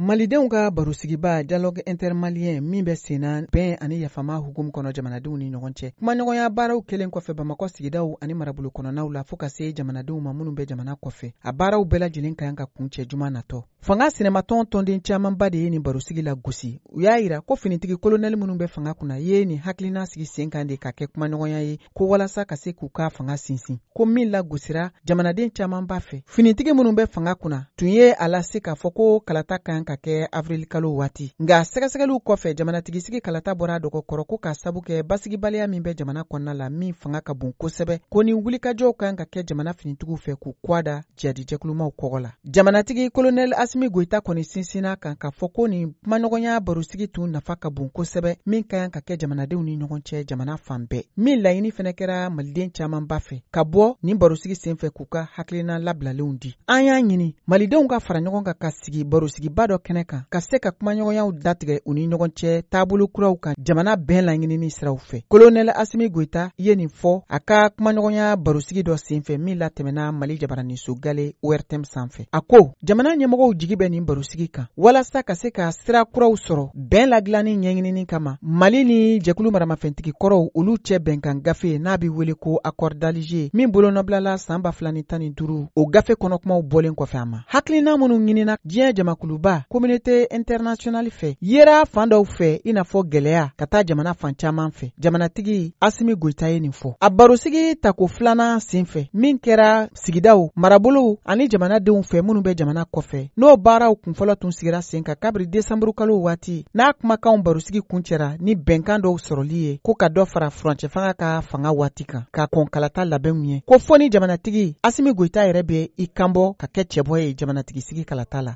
Malidenw ka barosigiba dialogue intermalien min bɛ senna bɛn ani yafama hukumu kɔnɔ jamanadenw ni ɲɔgɔn cɛ, kumaɲɔgɔnya baaraw kɛlen kɔfɛ Bamakɔ sigidaw ani marabolo kɔnɔnaw la fɔɔ ka se jamanadenw ma minnu bɛ jamana kɔfɛ, a baaraw bɛɛ lajɛlen ka kan ka kuncɛ juma natɔ. Fanga sinamatɔn tɔnden camanba de ye nin barosigi la gosi. U y'a yira ko finitigi kolonɛli minnu bɛ fanga kunna ye nin hakilina sigi sen kan de ka kɛ kumaɲɔgɔnya ye ko walasa ka se k'u ka fanga sinsin, ko min lagosira jamanaden camanba fɛ. Finitigi minnu bɛ fanga kunna tun ye a lase k'a fɔ ko kalata kan ka kɛ avril kalo waati, nka sɛgɛsɛgɛliw kɔfɛ, jamanatigisigi kalata bɔra a dɔgɔkɔrɔ ko k'a sabu kɛ basigibaliya min bɛ jamana kɔnɔna la min fanga ka bon kosɛbɛ, ko ni wulikajɔw kan ka kɛ jamana finitigiw fɛ k'u kwa da jihadijɛkulumaw kɔgɔ la. Jamanatigi kolonɛli Asimi Goyita kɔni sinsinna kan k'a fɔ ko nin kumaɲɔgɔnya barosigi tun nafa ka bon kosɛbɛ, min ka kan ka kɛ jamanadenw ni ɲɔgɔn cɛ jamana fan bɛɛ, min laɲini fɛnɛ kɛra maliden camanba fɛ ka bɔ nin barosigi senfɛ k'u ka hakilina labilalenw di. An y'a ɲini malidenw ka fara ɲɔgɔn kan ka sigi barosigiba dɔ kɛnɛ kan ka se ka kumaɲɔgɔnyaw datigɛ u ni ɲɔgɔn cɛ taabolo kuraw kan jamana bɛn laɲinini siraw fɛ. Kolonɛli Asimi Goyita ye nin fɔ a ka kumaɲɔgɔnya barosigi dɔ senfɛ min latɛmɛna Mali jabaraninso gale ORTM sanfɛ. A ko jamana ɲɛmɔgɔw jigi bɛ nin barosigi kan walasa ka se ka sira kuraw sɔrɔ bɛn ladilanni ɲɛɲinini kama Mali ni jɛkulu maramafɛntigi kɔrɔw olu cɛ bɛnkan gafe n'a bɛ wele ko accord d'Alger min bolonɔbilala san 2015, o gafe kɔnɔkumaw bɔlen kɔfɛ a ma. Hakilina minnu ɲinina diɲɛ jamakuluba communauté internationale fɛ yera fan dɔw fɛ, i n'a fɔ gɛlɛya ka taa jamana fan caman fɛ. Jamanatigi Asimi Goyita ye nin fɔ a barosigi tako filanan senfɛ min kɛra sigidaw, marabolow ani jamanadenw fɛ minnu bɛ jamana kɔfɛ, n'o baaraw kunfɔlɔ tun sigira sen kan kabiri desanburu kalo waati, n'a kumakanw barosigi kuncɛra ni bɛnkan dɔw sɔrɔli ye ko ka dɔ fara furancɛ fanga ka fanga waati kan ka kɔn kalata labɛnw ɲɛ, ko fɔ ni jamanatigi Asimi Goyita yɛrɛ bɛ i kanbɔ ka kɛ cɛbɔ ye jamanatigi sigi kalata la.